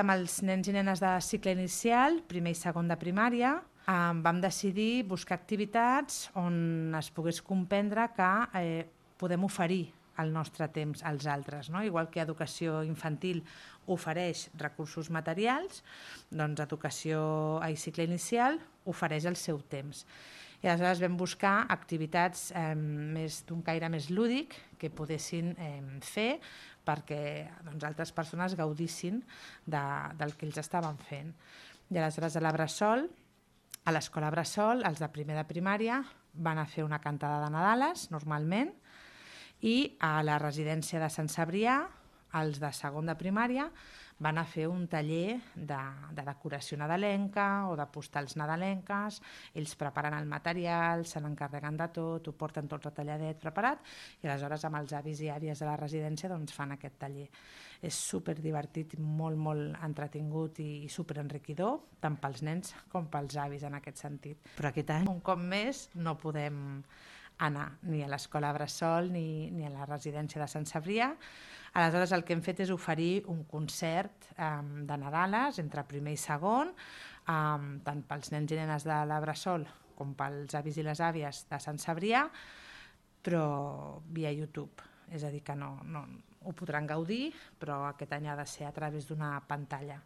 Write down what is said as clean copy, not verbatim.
Amb els nens i nenes de cicle inicial, primer i segon de primària, vam decidir buscar activitats on es pogués comprendre que podem oferir el nostre temps als altres, no? Igual que educació infantil ofereix recursos materials, doncs educació a cicle inicial ofereix el seu temps. I aleshores vam buscar activitats d'un caire més lúdic que poguessin fer perquè altres persones gaudissin del que ells estaven fent. I aleshores a l'escola Bressol, els de primer de primària van a fer una cantada de Nadales, normalment, i a la residència de Sant Cebrià, els de segon de primària, van a fer un taller de decoració nadalenca o de postals nadalenques. Ells preparen el material, se n'encarreguen de tot, ho porten tot retalladet, preparat, i aleshores amb els avis i àvies de la residència fan aquest taller. És superdivertit, molt entretingut i superenriquidor, tant pels nens com pels avis en aquest sentit. Però aquest any, un cop més, no podem anar ni a l'escola Bressol ni a la residència de Sant Cebrià. Aleshores el que hem fet és oferir un concert de Nadales entre primer i segon, tant pels nens i nenes de la Bressol com pels avis i les àvies de Sant Cebrià, però via YouTube. És a dir, que no ho podran gaudir, però aquest any ha de ser a través d'una pantalla.